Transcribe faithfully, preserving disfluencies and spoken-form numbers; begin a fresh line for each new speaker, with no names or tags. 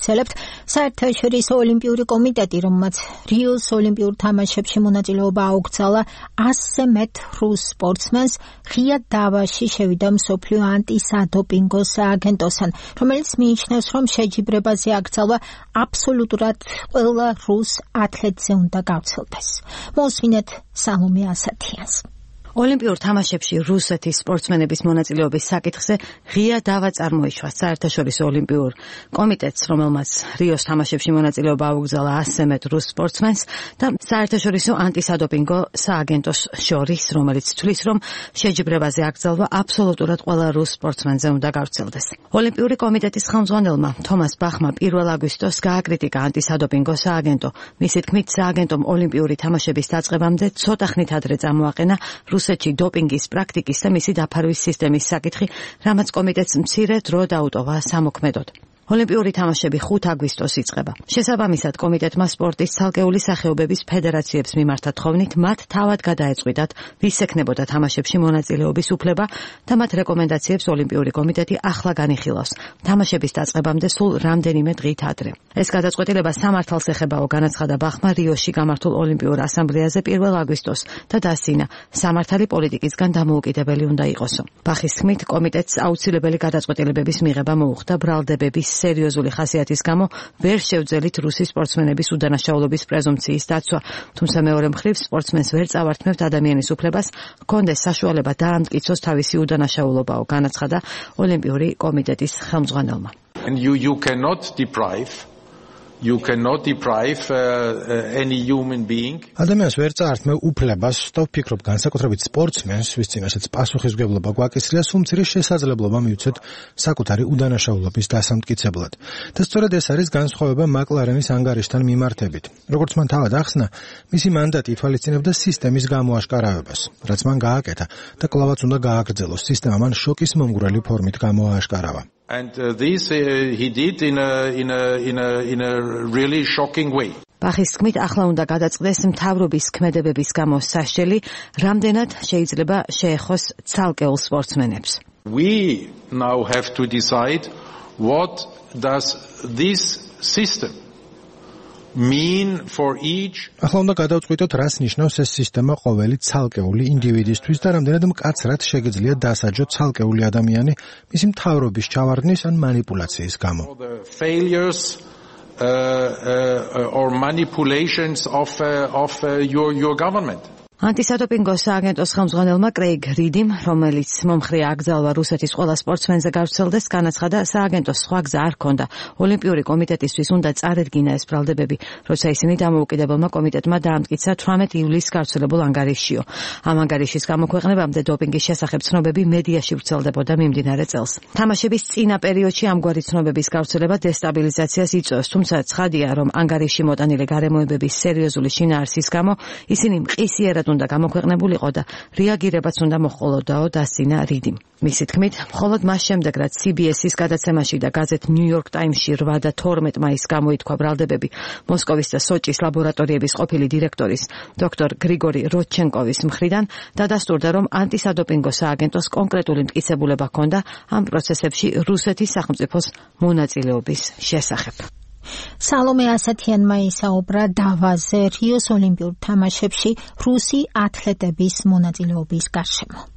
მოგაგრძელებთ. საერთაშორისო ოლიმპიური კომიტეტი, რომელმაც რიოს ოლიმპიურ თამაშებში მონაწილეობა აუგზავნა ასზე მეტ რუს სპორტსმენს, ღია დავაში შევიდა მსოფლიო ანტისადოპინგო სააგენტოსთან, რომელიც მიიჩნევს, რომ შეჯიბრებაზე აკრძალვა აბსოლუტურად ყველა რუს ათლეტზე უნდა გავცილდეს. მოსმინეთ სალომე ასათიანს.
ოლიმპიურ თამაშებში რუსეთის სპორტსმენების მონაწილეობის საკითხზე ღია დავა წარმოიშვა საერთაშორისო ოლიმპიურ კომიტეტს, რომელმაც რიოს თამაშებში მონაწილეობა აუგზავნა ასზე მეტ რუს სპორტსმენს და საერთაშორისო ანტისადოპინგო სააგენტოს შორის, რომელიც თვლის, რომ შეჯიბრებაზე აკრძალვა აბსოლუტურად ყველა რუს სპორტსმენზე უნდა გავრცელდეს. ოლიმპიური კომიტეტის ხელმძღვანელმა თომას ბახმა პირველ აგვისტოს გააკრიტიკა ანტისადოპინგო სააგენტო. მისი თქმით, სააგენტომ ოლიმპიური თამაშების დაწყებამდე ცოტა ხნით ადრე წამოაყენა რუსეთში დოპინგის პრაქტიკის და მისი დაფარვის სისტემის საკითხი, რამაც კომიტეტს მცირე დრო დაუტოვა სამოქმედოდ. ოლიმპიური თამაშები ხუთ აგვისტოს იწყება. შესაბამისად, კომიტეტმა სპორტის ცალკეული სახეობების ფედერაციებს მიმართა თხოვნით, მათ თავად გადაეწყვიტათ, ვის ექნებოდა თამაშებში მონაწილეობის უფლება და მათ რეკომენდაციებს ოლიმპიური კომიტეტი ახლა განიხილავს. თამაშების დაწყებამდე სულ რამდენიმე დღით ადრე. ეს გადაწყვეტილება სამართალს ეხებაო, განაცხადა ბახმა რიოში გამართულ ოლიმპიურ ასამბლეაზე პირველ აგვისტოს და დასძინა, სამართალი პოლიტიკისგან დამოუკიდებელი უნდა იყოსო. ბახის თქმით, კომიტეტს აუცილებელი გადაწყვეტილებების მიღება მოუხდა ბრალდებების სერიოზული ხასიათის გამო ვერ შევძელით რუსი სპორტსმენების უდანაშაულობის პრეზუმპციის დაცვა, თუმცა მეორე მხრივ სპორტსმენს ვერ წავართმევთ ადამიანის უფლებას ჰქონდეს საშუალება დაამტკიცოს თავისი უდანაშაულობაო, განაცხადა ოლიმპიური კომიტეტის ხელმძღვანელმა.
And you you cannot deprive You cannot deprive uh, uh, any human being.
ადამიანს ვერ წაართმევ უფლებას, და ვფიქრობ, განსაკუთრებით სპორტსმენს, ვის წინაშეც პასუხისმგებლობა გვაკისრია, სულ მცირე შესაძლებლობა მივცეთ საკუთარი უდანაშაულობის დასამტკიცებლად. და სწორედ ეს არის განსხვავება მაკლარენის ანგარიშთან მიმართებით. როგორც მან თავად ახსნა, მისი მანდატი ითვალისწინებდა სისტემის გამოაშკარავებას, რაც მან გააკეთა და კვლავაც უნდა გააგრძელოს. სისტემა მან შოკის მომგვრელი ფორმით გამოააშკარავა.
And uh, this uh, he did in a in a in a in a really shocking way.
ბახის თქმით, ახლა უნდა გადაწყდეს მთავრობის ქმედებების გამო სასჯელი, რამდენად შეიძლება შეეხოს ცალკეულ სპორტსმენებს.
We now have to decide what does this system mean for each.
ახლა უნდა გადავწყვიტოთ, რას ნიშნავს ეს სისტემა ყოველი ცალკეული ინდივიდისთვის და რამდენად მკაცრად შეგიძლია დასაჯო ცალკეული ადამიანი მისი მთავრობის ჩავარდნის ან манипуляციის გამო.
Failures uh, uh, or manipulations of uh, of uh, your your government.
ანტისადოპინგო სააგენტოს ხელმძღვანელმა კრეიგ რიდიმ, რომელიც მომხრეა აკრძალვა რუსეთის ყველა სპორტსმენზე გავრცელდეს, განაცხადა, სააგენტოს სხვა გზა არ ჰქონდა. ოლიმპიური კომიტეტისთვის უნდა წარედგინა ეს ბრალდებები, როცა ისინი დამოუკიდებელმა კომიტეტმა დაამტკიცა თვრამეტი ივლისს გავრცელებულ ანგარიშშიო. ამ ანგარიშის გამოქვეყნებამდე დოპინგის შესახებ ცნობები მედიაში ვრცელდებოდა მიმდინარე წელს. თამაშების წინა პერიოდში ამგვარი ცნობების გავრცელება დესტაბილიზაციას იწვევს, თუმცა ცხადია, რომ ანგარიშში მოტანილი გარემოებების სერიოზული შინაარსის გამო ისინი მყისიერად უნდა გამოქვეყნებულიყო და რეაგირებაც უნდა მოჰყოლოდაო, დასძინა რიდიმ. მისი თქმით, მხოლოდ მას შემდეგ, რაც სი ბი ეს-ის გადაცემაში და გაზეთ New York Times-ში რვა და თორმეტ მაისს გამოითქვა ბრალდებები მოსკოვის და სოჭის ლაბორატორიების ყოფილი დირექტორის დოქტორ გრიგორი როდჩენკოვის მხრიდან, დადასტურდა, რომ ანტისადოპინგო სააგენტოს კონკრეტული მტკიცებულება ჰქონდა ამ პროცესებში რუსეთის სახელმწიფოს მონაწილეობის შესახებ.
სალომე ასათიანმა ისაუბრა დავაზე რიოს ოლიმპიურ თამაშებში რუსი ათლეტების მონაწილეობის გარშემო.